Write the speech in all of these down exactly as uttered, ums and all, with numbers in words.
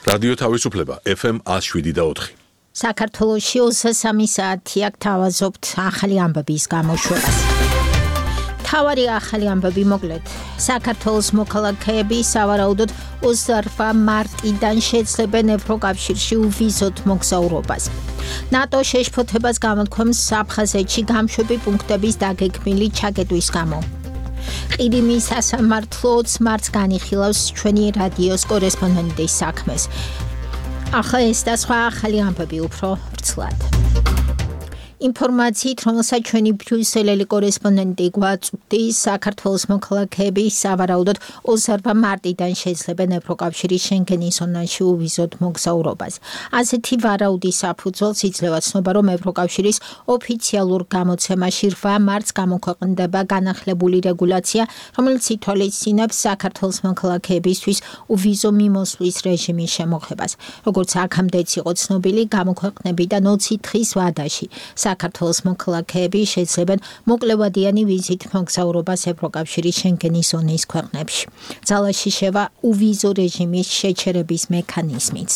რადიო თავისუფლება ეფ ემ one oh seven და four. საქართველოში ოცდასამი საათი აქ თავაზობთ ახალი ამბების გამოშვებას. თავარი ახალი ამბები მოკლედ. საქართველოს მოქალაქეები სავარაუდოდ ოცდაორ მარტიდან შეძლებენ ევროკავშირში უვიზოთ მოგზაურობას. ნატო შეშფოთებას გამოთქვამს აფხაზეთში გამშვები პუნქტების დაგეგმილი ჩაკეტვის გამო. ყირიმის სასამართლო ოცდაათი მარტს განიხილავს ჩვენი რადიოს კორესპონდენტის საქმეს. ახლა ეს და სხვა ახალი ამბები უფრო ვრცლად. ინფორმაციით, რომელსაც ჩვენი ბრიუსელელი კორესპონდენტი გვაწვდის, საქართველოს მოქალაქეები სავარაუდოდ ოცდაორ მარტიდან შეძლებენ ევროკავშირის შენგენის ზონაში უვიზოთ მოგზაურობას. ასეთი ვარაუდის საფუძველს იძლევა ცნობა, რომ ევროკავშირის ოფიციალურ გამოცემაში რვა მარტს გამოქვეყნდება განახლებული რეგულაცია, რომელიც ითვალისწინებს საქართველოს მოქალაქეებისთვის უვიზო მიმოსვლის რეჟიმის შემოღებას. როგორც აქამდეც იყო ცნობილი, გამოქვეყნებიდან ოცი დღის ვადაში საქართველოს მოქალაქეები შეძლებენ მოკლევადიანი ვიზით მოგზაურობას ევროკავშირის შენგენის ზონის ქვეყნებში. ძალაში შევა უვიზო რეჟიმის შეჩერების მექანიზმიც.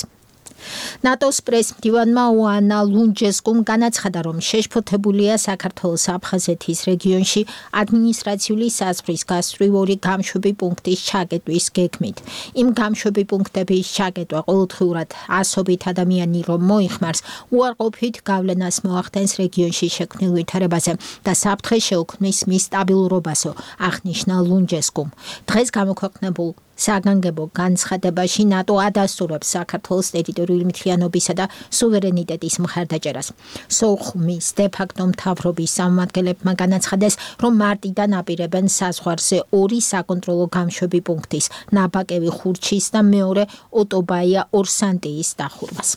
ნატოს პრეს-მდივანმა ოანა ლუნჯესკუმ განაცხადა, რომ შეშფოთებულია საქართველოს აფხაზეთის რეგიონში ადმინისტრაციული საზღვრის გასწვრივი გამშვები პუნქტის ჩაკეტვის გეგმით. იმ გამშვები პუნქტების ჩაკეტვა ყოველდღიურად ასობით ადამიანი რომ მოიხმარს, უარყოფით გავლენას მოახდენს რეგიონში შექმნილ ვითარებაზე და საფრთხე შეუქმნის მის სტაბილურობასო, აღნიშნა ლუნჯესკუმ. დღეს გამოქვეყნებულ საგანგებო განცხადებაში ნატო ადასტურებს საქართველოს ტერიტორიული მთლიანობისა და სუვერენიტეტის მხარდაჭერას. სოხუმის დე-ფაქტო მთავრობის წარმომადგენლებმა განაცხადეს, რომ მარტიდან აპირებენ საზღვარზე ორი საკონტროლო გამშვები პუნქტის, ნაბაკევი ხურჩის და მეორე ოტობაია ორსანტიის დახურვას.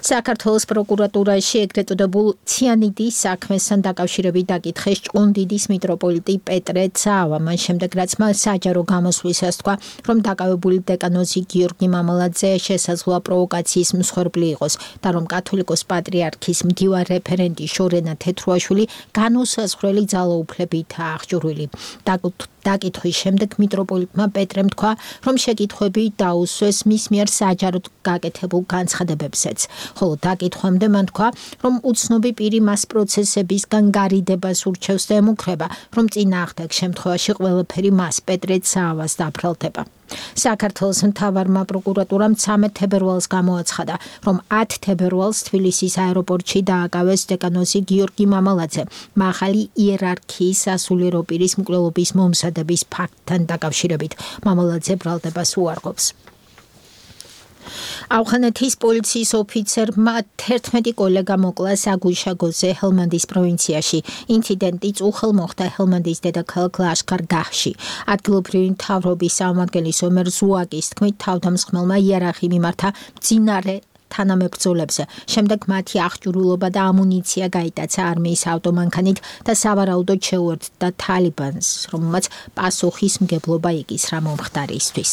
საქართველოს პროკურატურაში ეგრეთ წოდებულ ციანიდის საქმესთან დაკავშირებით დაკითხეს ჭყონდიდის მიტროპოლიტი პეტრე ცაავა. მან შემდეგ რაც მას საჯარო გამოსვლისას თქვა, რომ დაკავებული დეკანოზი გიორგი მამალაძე შესაძლოა პროვოკაციის მსხვერპლი იყოს და რომ კათოლიკოს პატრიარქის მდივარ რეფერენდი შორენა თეთრუაშვილი განუსაზღვრელი ძალაუფლებითაა აღჭურვილი. დაკითხვის შემდეგ მიტროპოლიტმა პეტრემ თქვა, რომ შეკითხვები დაუსვეს მის მიერ საჯაროდ გაკეთებულ განცხადებებზეც. ხოლო დაკითხვამდე მან თქვა, რომ უცნობი პირი მას პროცესებისგან გარიდებას ურჩევს და ემუქრება, რომ წინააღმდეგ შემთხვევაში ყველაფერი მას პეტრე ცაავას დაბრალდება. საქართველოს მთავარმა პროკურატურამ ცამეტ თებერვალს გამოაცხადა, რომ ათი თებერვალს თბილისის აეროპორტში დააკავეს დეკანოზი გიორგი მამალაძე მაღალი იერარქიის სასულიერო პირის მკვლელობის მომზადების ფაქტთან დაკავშირებით. მამალაძე ბრალდებას უარყოფს. ავღანეთის პოლიციის ოფიცერმა თერთმეტი კოლეგა მოკლა საგუშაგოზე ჰელმანდის პროვინციაში. ინციდენტი წუხელ მოხდა ჰელმანდის დედაქალაქ ლაშქარ-გაჰში. ადგილობრივი მთავრობის წარმომადგენლის ომერ ზუაკის თქმით, თავდამსხმელმა იარაღი მიმართა მძინარე თანამებრძოლებზე. შემდეგ მათი აღჭურვილობა და ამუნიცია გაიტაცა არმიის ავტომანქანით და სავარაუდოდ შეუერთდა თალიბანს, რომელმაც პასუხისმგებლობა იკისრა მომხდარისთვის.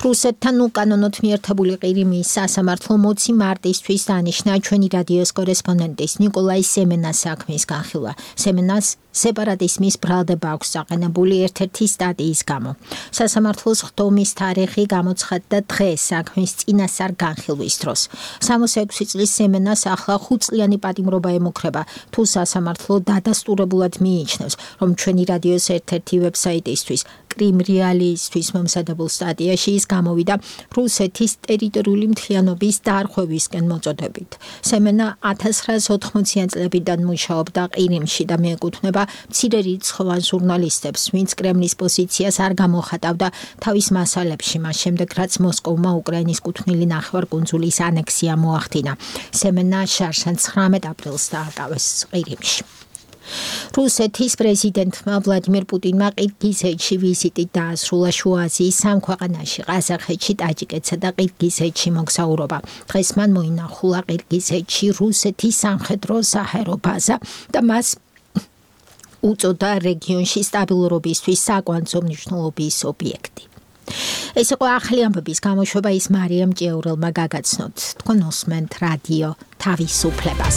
რუსეთთან უკანონოდ მიერთებული ყირიმის სასამართლო ოცი მარტისთვის დანიშნა ჩვენი რადიოს კორესპონდენტის ნიკოლაი სემენას საქმის განხილვა. სემენას სეპარატიზმის ბრალდება აქვს საყენებული ერთ-ერთი სტატიის გამო. სასამართლოს ხდომის თარიღი გამოცხადდა დღეს საქმის წინასწარ განხილვის დროს. სამოცდაექვსი წლის სემენას ახლა ხუთწლიანი პატიმრობა ემუქრება, თუ სასამართლო დადასტურებულად მიიჩნევს, რომ ჩვენი რადიოს ერთ-ერთი ვებსაიტისთვის კრიმ რეალისტვის მომზადებულ სტატიაში ის გამოვიდა რუსეთის ტერიტორიული მთლიანობის დაარღვევისკენ მოწოდებით. სემენა ათას ცხრაასი ოთხმოციანი წლებიდან მუშაობდა ყირიმში და მიეკუთვნება მცირე რიცხოვან ჟურნალისტებს, ვინც კრემლის პოზიციას არ გამოხატავდა თავის მასალებში, მას შემდეგ რაც მოსკოვმა უკრაინის კუთვნილი ნახევარკუნძულის ანექსია მოახდინა. სემენა შარშან ცხრამეტ აპრილს დააკავეს ყირიმში. რუსეთის პრეზიდენტმა ვლადიმირ პუტინმა ყირგიზეთში ვიზიტით დაასრულა შუა აზიის სამ ქვეყანაში, ყაზახეთში, ტაჯიკეთსა და ყირგიზეთში მოგზაურობა. დღეს მან მოინახულა ყირგიზეთში რუსეთის სამხედრო საჰაერო ბაზა და მას უწოდა რეგიონში სტაბილურობისთვის საკვანძო მნიშვნელობის ობიექტი. ეს იყო ახალი ამბების გამოშვება, ის მარიამ ჭიაურელმა გაგაცნოთ. თქვენ უსმენთ რადიო თავისუფლებას.